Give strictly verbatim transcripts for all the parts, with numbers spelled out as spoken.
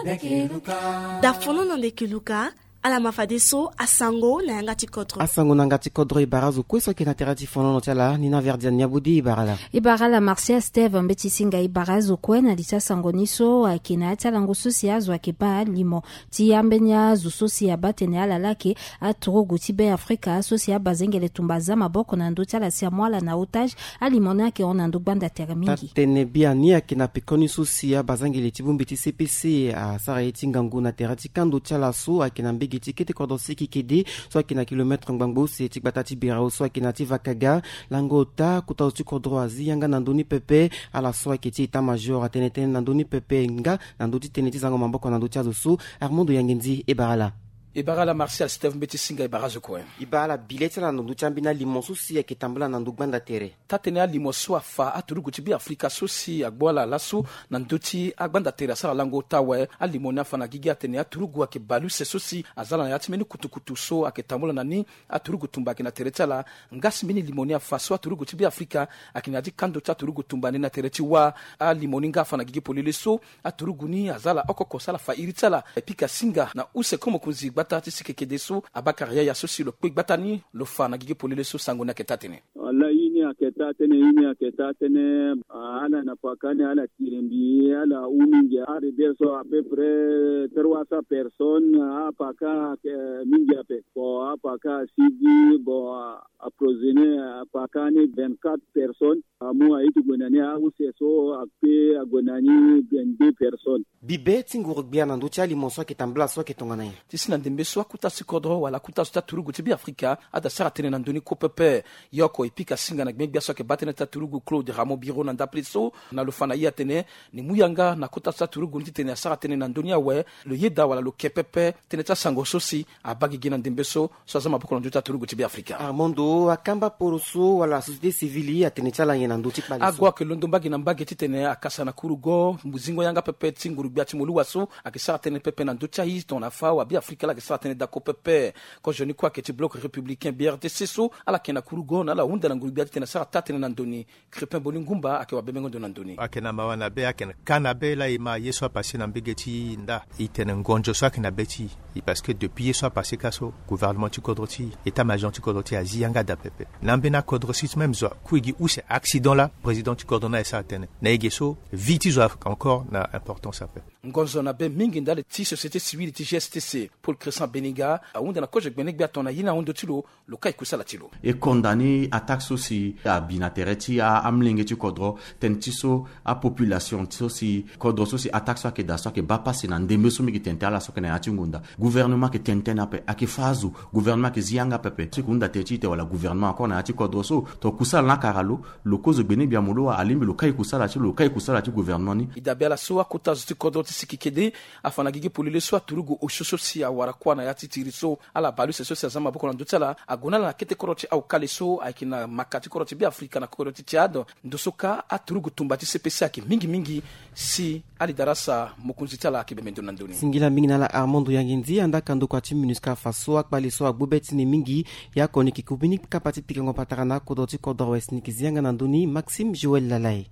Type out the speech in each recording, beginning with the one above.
Da fono na ndeke luka. Ala ma fadeso asango na yanga ti kodro. Asango na yanga ti kodro e bara azo kue so ayeke na tere ti fonono ti ala ni na verdian ni abodi e bara ala. E bara ala martial steve mbeti singa e bara azo kue na li ti asango ni so ayeke na ya ti alango so si azo ayeke baa limo ti ambeni azo so si abaa tene ala laa ayeke aturugu ti be afrika so si abazengele tumba aza maboko na ndö ti ala si amu ala na otage. Alimo ni ayeke hon na ndö gbanda tere mingi. Tene biani ayeke na pekoni so si abazangele ti bongbi ti cpc asara ye ti ngangu na tere ti kando ti ala so ayeke na mbege ti kete kodro siki kede so ayeke na kilometre ngbangbo use ti gbata ti birao so ayeke na ti vakaga. Lango ota kota zo ti kodro azi yanga na ndö ni pepe. Ala so ayeke ti état major atene tënë na ndö ni pepe nga na ndö ti tënë ti zango maboko na ndö ti azo so. Armando yangendi e bara ala. E bara ala martial steve mbeti singa e bara azo kue. E bara ala bile ti ala na ndö ti ambeni alimo so si ayeke tambula na ndö gbanda tere. Taa-tënë alimo so afa aturugu ti be afrika so si agbu ala laso na ndö ti agbanda tere asara lango ota awe. Alimo ni afa na gigi atene aturugu ayeke bale use so si aza ala na ya ti mbeni kutukutu so ayeke tambula na ni. Aturugu tumba ayeke na tere ti ala. Nga si mbeni limo ni afa so aturugu ti be afrika ayeke na ya ti kando ti aturugu tumba ni na tere ti wâ. Alimo ni nga afa na gigi polele so aturugu ni aza ala oko oko so ala fa iri ti ala. Pika singa na use ko mokonzi gbata ti sikekede so abakara yaya so si lo kpe gbata ni lo fa na gigi polele so sango ni ayeke taa-tënë. Wala i ni ayeke taa-tënë i ni ayeke taa-tënë. Ala na paka ni ala tiri mbi ala hou mingi. Aridere so à peu près trois cents personnes. Apaka ayeke mingi ape. Bon apaka asigi bon aprosene apaka ni vingt-quatre personnes. Amu aye ti gue na ni ause so akpe ague na ni vingt-deux personnes. Bibe ti nguru-gbia na ndö ti alimo so ayeke tambula so ayeke tongana nyen? Ti si na ndembe so akota ti kodro wala akota so ti aturugu ti be afrika ada sara tënë na ndö ni ko pepe. Ye oko e pika singa na gbengbe gbia so ayeke baa tënë ti aturugu claude ramo biro na ndapele so na lo fa na ye atene ni mu yanga na kota so ti aturugu ni titene asara tënë na ndö ni awe. Lo yeda wala lo ke pepe tënë ti asango so si abaa gigi na ndembe so so aza maboko na ndö ti aturugu ti be afrika. Armando akamba poro so wala société civile atene ti ala nyen na ndö ti kpale so? Ago ayeke londo mbage na mbage titene akasa na kurugo muzingo yanga pepe ti nguru-gbia ti moluwa so ayeke sara tënë pepe na ndö ti aye tongana afa wa be afrika laa ayeke sara tënë dako pepe. Kozo ni kue ayeke ti bloc républicain brtc so ala yeke na kurugo na ala hunda na nguru-gbia titene asara taa-tënë na ndo ni. Crépin boni ngumba ayeke wa bemengo ndo na ndo ni. Ayeke na mawa na be ayeke na ka na be laa e ma ye so apase na mbege ti nda. E tene ngonzo so ayeke na be ti e parce que depuis ye so apase ka so gouvernement ti kodro ti e état major ti kodro ti e azi yanga daa pepe. Na ambeni akodro si ti même zo akui gi use accident laa président ti kodro ni aye sara tënë na e ge so vie ti zo ayeke encore na importance ape. Ngonzo na be mingi ndali ti société civile ti gstc paul crescent beniga ahunda na kozo gbene gbia tongana ye ni ahon ndo ti lo. Lo kai kusala ti lo. E condamner attaque so si abi na tere ti amolenge ti kodro tënë ti so apopulation so si kodro so si attaque so ayeke daa so ayeke baa pasi na ndembe so mbi yeke tene tene ala so ayeke na ya ti ngonda. Gouvernement ayeke tene tënë ape ayeke fâ azo. Gouvernement ayeke zi yanga pepe so e ke hunda tene ti e te wala gouvernement encore na ya ti kodro so. Tongana kusala ni akara lo lo kozo gbene gbia moluwa alingbi lo kai kusala ti lo lo kai kusala ti gouvernement ni. E dabe ala so akota zo ti kodro ti siki kede afa na gigi polele so aturugu osio so si awara kuâ na ya ti tiri so. Ala baleuse so si aza maboko na ndö ti ala ague na ala na kete kodro ti aokale so ayeke na maka ti kodro ti be afrika na kodro ti tchad. Ndo so kâ aturugu tumba ti cpc ayeke mingi mingi. Si ali darasa mokonzi ti ala ayeke bembe ndo na ndö ni. Singila mingi na ala armando yangendi anda ka ndokua ti minusca afa so akpale so agbu be ti ni mingi. Ye oko ni yeke ku mbeni kapa ti pikango patara na akodro ti kodro west ni yeke zi yanga na ndö ni maxime joël lalai.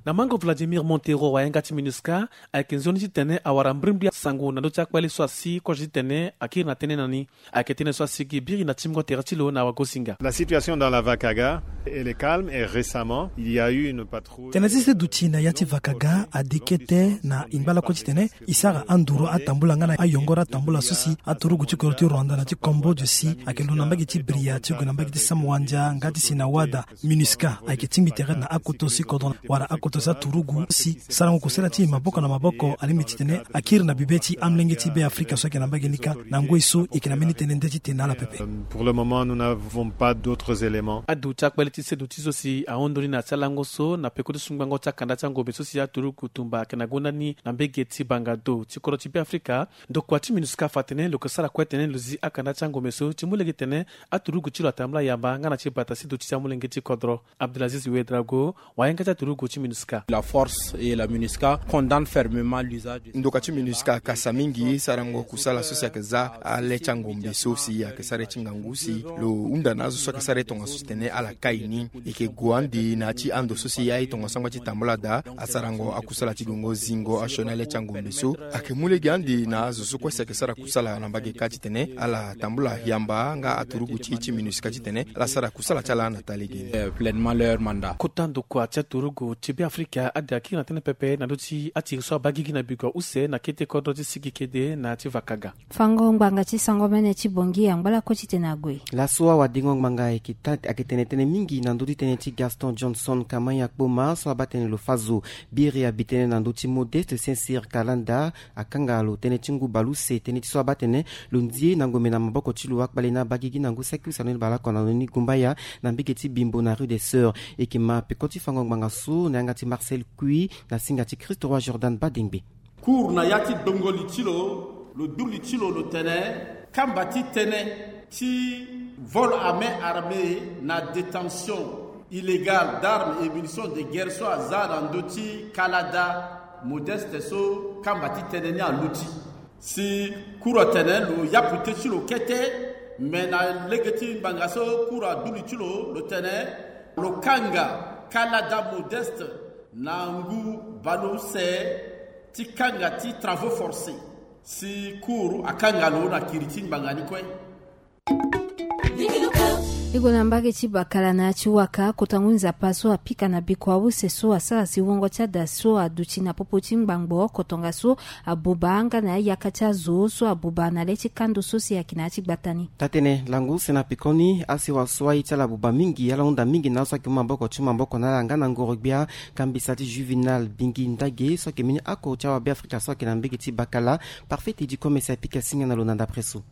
Na mango vladimir montero wayanga ti minusca ayeke nzoni titene awara mbrimbri asango na ndö ti akpale so asi kozo titene akiri na tënë na ni. Ayeke tënë so asi gi biri na timbongo tere ti lo na wagosinga. La situation dans la vakaga elle est calme et récemment il y a eu une patrouille. Tënë ti se duti na ya ti vakaga ade kete na e ngba lakue titene e sara anduru atambula nga na ayongoro atambula so si aturugu ti kodro ti rwanda na ti cambodge si ayeke lo na mbage ti bria ti gue na mbage ti samwandia nga ti si na wada. Minusca ayeke tingbi tere na akoto si kodro wala akoto si aturugu si sarango kusala ti e maboko na maboko alingbi titene akiri na bibe ti amolenge ti be afrika so ayeke na mbage ni kâ. Na ngoi so e yeke na mbeni tënë nde ti tene na ala pepe. Pour le moment nous n'avons pas d'autres éléments. Adu ti akpale ti seduti so si ahon ndo ni na ya ti alango so na peko ti sungbango ti akanda ti angombe so si aturugu tumba ayeke na gonda ni na mbege ti bangado ti kodro ti be afrika. Ndokua ti minusca afa atene lo yeke sara kue tene lo zi akanda ti angombe so ti mu lege tene aturugu ti lo atambula yamba nga na ti bata seduti ti amolenge ti kodro. Abdelaziz wedrago wayanga ti aturugu ti minusca. La force et la MINUSCA condamne fermement l'usage de ndoka ti MINUSCA akasa mingi sarango kusala so si ayeke za ale ti angombe so si ayeke sara ye ti ngangu si lo hunda na azo so ayeke sara ye tongaso titene ala kai ni. E yeke gue ande na ya ti ando so si aye tongaso angba ti tambula daa asarango akusala ti gongo zingo asioni ale ti angombe so. Ayeke mu lege ande na azo so kue si ayeke sara kusala na mbage kâ titene ala tambula yamba nga aturugu ti ye ti MINUSCA titene ala sara kusala ti ala na taa lege ni. Pleinement leur mandat. Kota ndokua ti aturugu ti Beafrika ade akiri na tënë pepe na ndö ti atiri so abaa gigi na bikua use na kete kodro ti sigi kede na ya ti vakaga. Fango ngbanga ti sango mene ti Bangui angba lakue titene ague. Laso awadengo ngbanga ayeke tene tënë mingi na ndö ti tënë ti Gaston Johnson Kamanya Kpoma so abaa tënë lo fa zo. Biri abi tënë na ndö ti Modeste Sincere Kalanda akanga lo tënë ti ngu baleuse tënë ti so abaa tene lo nzie na ngombe na maboko ti lo akpale ni abaa gigi na ngu saki use na ni baleoko na lo ni gumbaya na mbege ti Bimbo na rue des Sœurs. E yeke ma peko ti fango ngbanga so na yanga ti Marcel Kui na singa ti Christ Roi Jordan Badengbe. Cour na ya ti dongo li ti lo, lo du li ti lo lo tene kamba ti tënë ti vol à main armée na détention illégale d'armes et munitions de guerre so aza na ndö ti kalada Modeste so kamba ti tënë ni aluti. Si cour atene lo yapu te ti lo kete, me na lege ti ngbanga so cour adu li ti lo lo tene lo kanga kalada Modeste na ngu baleuse ti kanga ti travaux forcés. Si cour akanga lo na kiri ti ngbanga ni kue. E gue na mbage ti Bakala na ya ti waka kota ngu nzapa so apika na bikua use so asara si wungo ti ada so aduti na popo ti ngbangbo oko tongaso abuba nga na ayaka ti azo so abuba na le ti kando so si ayeke na ya ti gbata ni. Taa-tënë lango use na pekoni asewa so aye ti ala abuba mingi ala hunda mingi na azo so ayeke mu maboko ti mu maboko na ala nga na ngoro-gbia kambisa ti Juvenal Bingi Ndage so ayeke mbeni oko ti awa Beafrika so ayeke na mbage ti Bakala. Parfait ti di kome si apika singa na lo na ndapre so.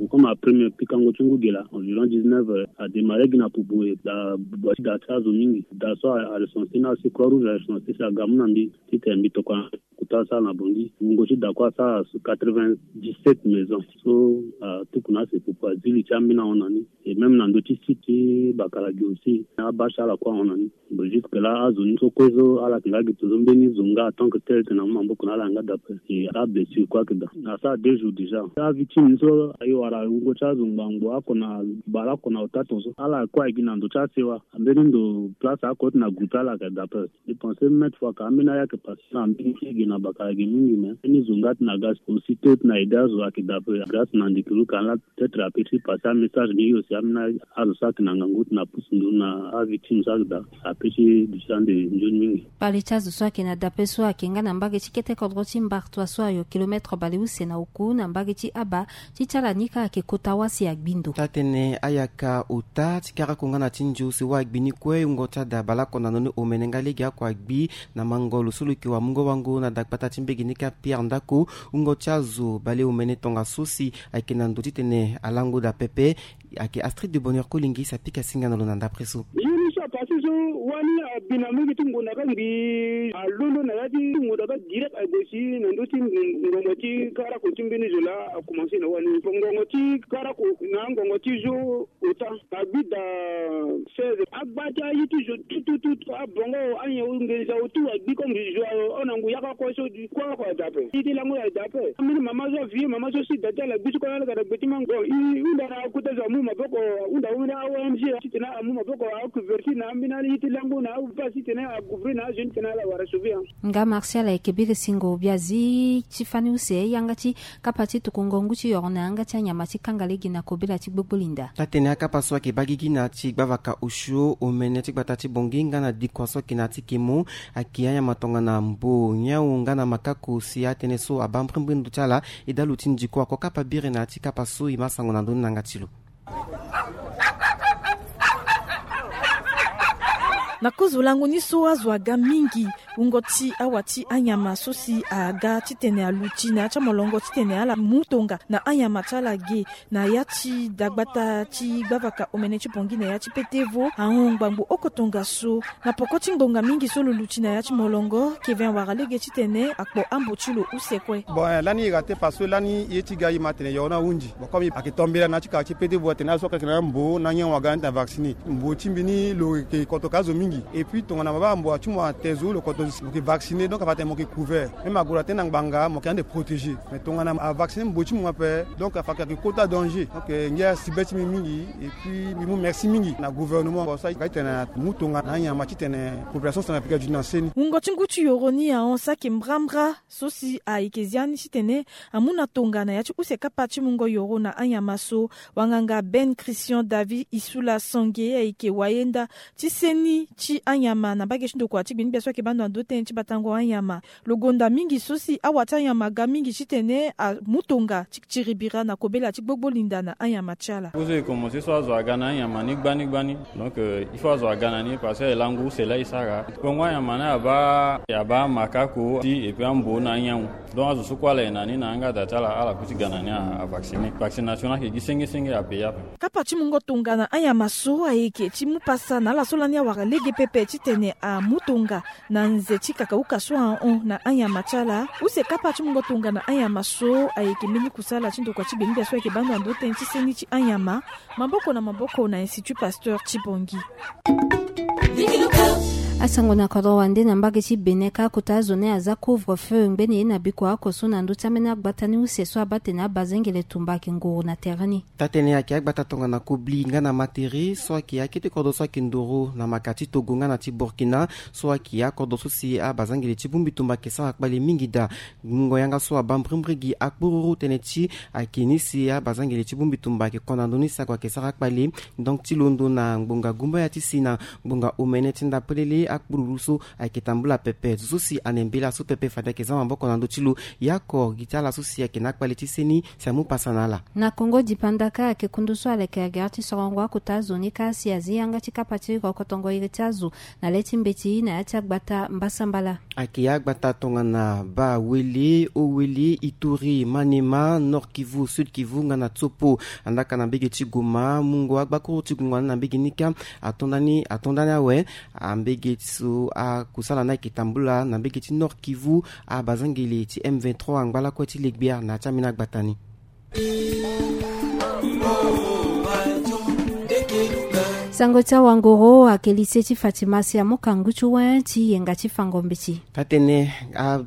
Comme après me pikango ti ngu gela environ dix-neuf heures adémarré gi na pupu e da buba ti da ti azo mingi da so arecense ni asi Croix Rouge arecense si aga mu na mbi titene mbi tokua kota asara na Bangui wungo ti da kue asara quatre-vingt-dix-sept maisons so atuku na ase pupu azi li ti ambeni ahon na ni. Et même na ndö ti site ti Bakala gi aussi abâche ala kue ahon na ni. Bon, jusque là azo ni so kue so ala yeke nga gi tongaso mbeni zo nga en tant que tel tena mu maboko na ala yanga d'après. Et ablessure kue ayeke daa asara deux jours déjà. Avictime ni so aye wara wungo ti azo ngbangbo oko na baleoko na ota tongaso ala kue aye gi na ndo ti asewa. Ambeni ndo place ako ti na groupe ala yeke d'après. Je pense mètre fois ka ambeni aya yeke passé na ambeni ti ge na Bakala ge mingi mais ambeni zo nga ti na ga aussitôt ti na aidé azo ayeke d'après grâce na ndeke lo ka laa. Peut-être ape ti passé amessage ni yo si amena azo so ayeke na ngangu ti na pusu nduru na avictime so ayeke daa ape ti duti ande nzoni mingi. Kpale ti azo so ayeke na dape so ayeke nga na mbage ti kete kodro ti Mbartua so ayo kilomètre baleuse na oku na mbage ti Aba ti ti ala ni kâ ayeke kota wâ si agbi ndo. Taa-tënë ayaka ota ti karako nga na ti nzo si wâ agbi ni kue wungo ti ada baleoko na ndoni omene nga lege oko agbi na mango lo so lo yeke wamungo wango na dagbata ti mbege ni kâ Pierre Ndako. Wungo ti azo baleomene tongaso si ayeke na ndo titene alango daa pepe. Ayeke Astrid de Bonheur Kolingis apika singa na lo na ndapre so. Ye ni so apase so wani abi na mbege ti ngonda kâ ngbii alondo na ya ti ngonda kâ direct ague si na ndö ti ngongo ti karako ti mbeni zo laa akomanse na wani ngongo ti karako na ngongo ti zo. Ota agbi daa seize agba ti aye ti zo tututu abongo anyen ngenza otu agbi comme zo ayo ona ngu yaka kue so di kue oko adape ye ti lango adape. Ambeni mama so avieux mama so si da ti ala gbi so kue na ala ga na gbe ti mango i hunda na akota zo amu maboko ahunda ambeni a-ong titene amu maboko acouverte na ambeni aye ti lango na apasse titene acouvrir na azo ni titene ala wara sauver. Nga Martial ayeke biri singo biazi ti fani use yanga ti kapa ti tuku ngongu ti yoro na yanga ti anyama ti kanga lege na kobela ti gbogbolinda. Taa-tënë akapa so ayeke baa gigi na ya ti gbavaka osio omene ti gbata ti Bangui nga na dikua so ayeke na ya ti kemo. Ayeke anyama tongana mbo nyawu nga na makako si atënë so abaa mbrimbri ndo ti ala. E daa lo ti ndiko ako kapa biri na ya ti kapa so e ma sango na ndö ni na yanga ti lo. Na kozo lango ni so azo aga mingi wungo ti awa ti anyama so si aga titene aluti na ya ti amolongo titene ala mu tonga na anyama ti ala ge na ya ti dagbata ti gbavaka omene ti Bangui na ya ti petevo ahon ngbangbo oko tongaso. Na poko ti ngonga mingi so lo luti na ya ti molongo Kevin awara lege titene akpo ambo ti lo use kue. Bon eh, lani ira te parce que lani ye ti ga ye ma atene yoro ni ahunzi. Bon comme ayeke tombela na ya ti kara ti petevo atene azo so ayeke na mbo na nyen waga ni atene avaccine mbo ti mbi ni lo yeke kotoka azo mingi. Et puis tongana mabaa mbo ati mo ate zo lo koto Mo ke vacciner, donc afa tene mo ke couvert. Même agola tene na ngbanga mo ke ande protéger. Mais tongana avacciner mbo ti mo ape, donc afa ke kota danger. Donc ngia si be ti mbi mingi. Et puis mbi mu merci mingi na gouvernement, bon, so ayeke tene amu tongana anyama titene population centrafricaine aduti na seni. Wungo ti ngu ti yoro ni ahon saki mbrambra. So si ayeke zia ni titene amu na tongana ya ti use kapa ti mungo yoro na anyama so. Wanganga Ben Christian David Isula Sange ayeke wayenda ti seni ti anyama na mbage ti ndokua ti gbinigbia so ayeke bando na ndo tënë ti batango anyama. Lo gonda mingi so si awa ti anyama aga mingi titene amu tonga ti tiri bira na kobela ti gbogbo linda na anyama ti ala. Kozo e komanse so azo aga na anyama ni gbani gbani. Donc il faut azo aga na ni parce que e langu use laa e sara. Bongo anyama ni abaa abaa makako ti et puis ambo na anyangu. Donc azo so kue ala ye na ni na yanga da ti ala ala kuti ga na ni. Avacciner vaccination ni ayeke gi senge senge ape ya ape. Kapa ti mungo tonga na anyama so ayeke ti mu pasa na ala so lani awara lege pepe titene amu tonga na nze ti kakauka so ahon na anyama ti ala. Use kapa ti mungo tonga na anyama so ayeke mbeni kusala ti ndokua ti gbenigbia so ayeke bando na ndo tënë ti seni ti anyama maboko na maboko na Institut Pasteur ti Bongi. Asango na kodro wande na mbage ti Bénin kâ kota azo ni aza couvre feu ngbeni ye na bikua oko so na ndö ti ambeni agbata ni use so abaa tene abazengele tumba ayeke nguru na tere ni. Taa-tënë ayeke agbata tongana kobli nga na matere so ayeke akete kodro so ayeke ndoro na maka ti Togo nga na ti Burkina so ayeke akodro so si abazangele ti bongbi tumba ayeke sara kpale mingi daa. Mungo yanga so abaa mbrimbri gi akpororo tënë ti ayeke ni si abazangele ti bongbi tumba ayeke konda ndö ni si ague ayeke sara kpale. Donc ti londo na ngbonga gumbaya ti si na ngbonga omene ti ndapelele akpululu so ayeke tambula pepe zo so si ane mbela so pepe fade ayeke za maboko na ndö ti lo. Ye oko gi ti ala so si ayeke na akpale ti seni si amu pasa na ala. Na Kongo dipanda kâ ayeke kundu so aleke agere ti sorongo akota azo ni kâ si azi yanga ti kapa ti rokotongo iri ti azo na le ti mbeti na ya ti agbata mbasambala. Ayeke agbata tongana Bawele, Owele, Ituri, Maniema, Nord Kivu, Sud Kivu nga na Tsopo. Andaka na mbege ti Goma mungo agbakuru ti gungo na mbege ni kâ atonda ni atonda ni awe. Ambege so akusala ni ayeke tambula na mbege ti Nord Kivu, abazangele ti M vingt-trois angba lakue ti legbiar na ya ti ambeni agbata ni. Sango ti awangoro ayeke lycée ti Fatima si amu kangu ti wen ti yenga ti fango mbeti. Taa-tënë a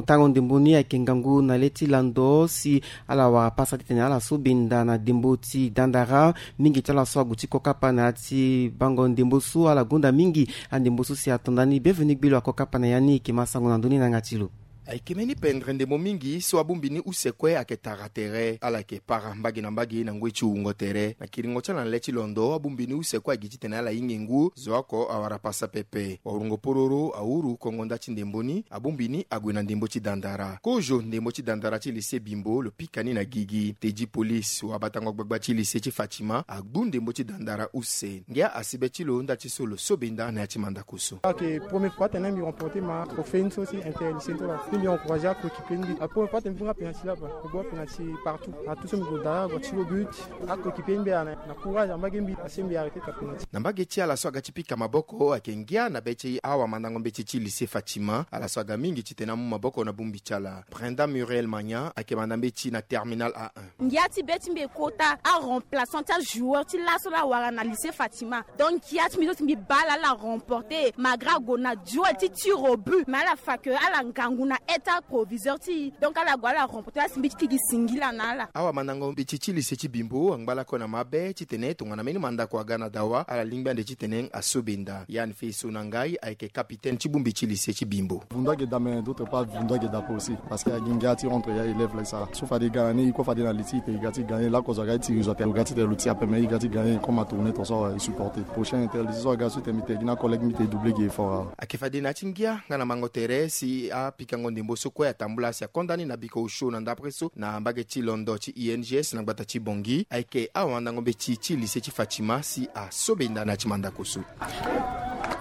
tango ndembo ni ayeke ngangu na le ti lando si ala wara pasa titene ala so benda na ndembo ti dandara. Mingi ti ala so ague ti kokapa na ya ti bango ndembo so ala gonda mingi. Andembo so si atonda ni Bienvenu Gbelo akokapa na ya ni, e yeke ma sango na ndö ni na yanga ti lo. Ayeke mbeni pendre ndembo mingi so abongbi ni use kue ayeke tara tere. Ala yeke para mbage na mbage na ngoi ti wungo tere. Na kiringo ti ala na le ti londo abongbi ni use kue agi titene ala hinga ngu zo oko awara pasa pepe. Wawurongo pororo awuru kongo nda ti ndembo ni abongbi ni ague na ndembo ti dandara. Kozo ndembo ti dandara ti lycée Bimbo lo pika ni na gigi. Tedi police wabatango gbagba ti lycée ti Fatima agbu ndembo ti dandara use. Ngia asi be ti lo nda ti so lo so benda na ya ti mandako so. Ok, première fois tene mbi remporter ma trophée ni so si inter lycée ni so la. Mbi encourager akoéquipier ni. A première fois tene mbi nga penalty la ba. Mbi go penalty partout. Na tout so mbi go dara go ti lo but. Akoéquipier ni mbi ana na courage na mbage mbi asi mbi arrêter ka penalty. Na mbage ti ala so aga ti pika maboko ayeke ngia na be ti awamandango mbeti ti lycée Fatima. Ala so aga mingi titene amu maboko na bongbi ti ala. Brenda Muriel Magnan ayeke manda mbeti na terminal A un. Ngia ti be ti mbi e kota aremplaçant ti ajoueur ti laso la awara na lycée Fatima. Donc ngia ti mbi so si mbi baa ala ala remporter malgré ague na duel ti tir au but mais ala fa que ala ngangu na état proviseur ti e. Donc ala gue ala remporter asi mbi ti kigi singila na ala. Awamandango mbeti ti lycée ti Bimbo angba lakue na mabe titene tongana mbeni mandako aga na dawa ala lingbi ande titene aso benda. Yan Fei Sonangai ayeke capitaine ti bongbi ti lycée ti Bimbo. Vundu ayeke daa mais d'autre part vundu ayeke daa pe aussi. Parce que agi ngia ti rentre ya élève la e sara so fade e ga na ni e kue fade na li ti e tene e ga ti gagner lakozo aga ti tiri zo atene lo ga ti tene lo ti ape mais e ga ti gagner comme atourner ton so e supporter prochain inter lycée so aga so e tene mbi tene gi na collègue mbi tene e doubler gi effort awe. Ayeke fade na ya ti ngia nga na mango tere si apikango ndembo so kue atambula si akonda ni na biko osio na ndapre so na mbage ti londo ti I N G S na gbata ti Bangui. Ayeke awamandango mbeti ti lycée ti Fatima si aso benda na ya ti mandako so.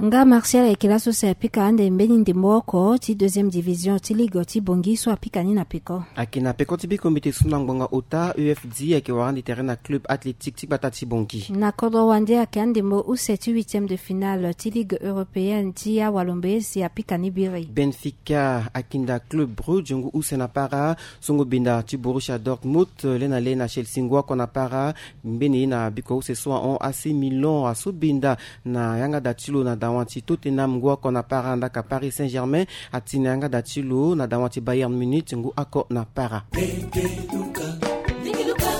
Nga Martial ayeke laso si apika ande mbeni ndembo oko ti deuxième division ti ligue ti Bangui so apika ni na peko. Ayeke na peko ti biko mbi te su na ngbonga ota E F D ayeke wara ande tere na club athlétique ti gbata ti Bangui. Na kodro wande ayeke andembo use ti huitième de finale ti ligue européenne ti awalombe si apika ni biri. Benfica akinda Club Brugge ngu use na para. Songo benda ti Borussia Dortmund le na le na Chelsea ngu oko na para. Mbeni ye na biko use so ahon A C Milan aso benda na yanga da ti lo na Dawa ti Tottenham ngu oko na para ndaka Paris Saint-Germain. Atini yanga da ti lo na dawa ti Bayern Munich ngu oko na para.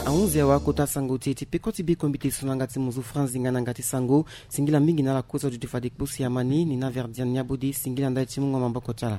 Ahunzi awa kota sango ti e ti peko ti biko mbi te so na yanga ti muzu franzi nga na yanga ti sango. Singila mingi na ala kozo duti fade kposi amani ni na verdian ni abodi singila ndali ti mungo maboko ti ala.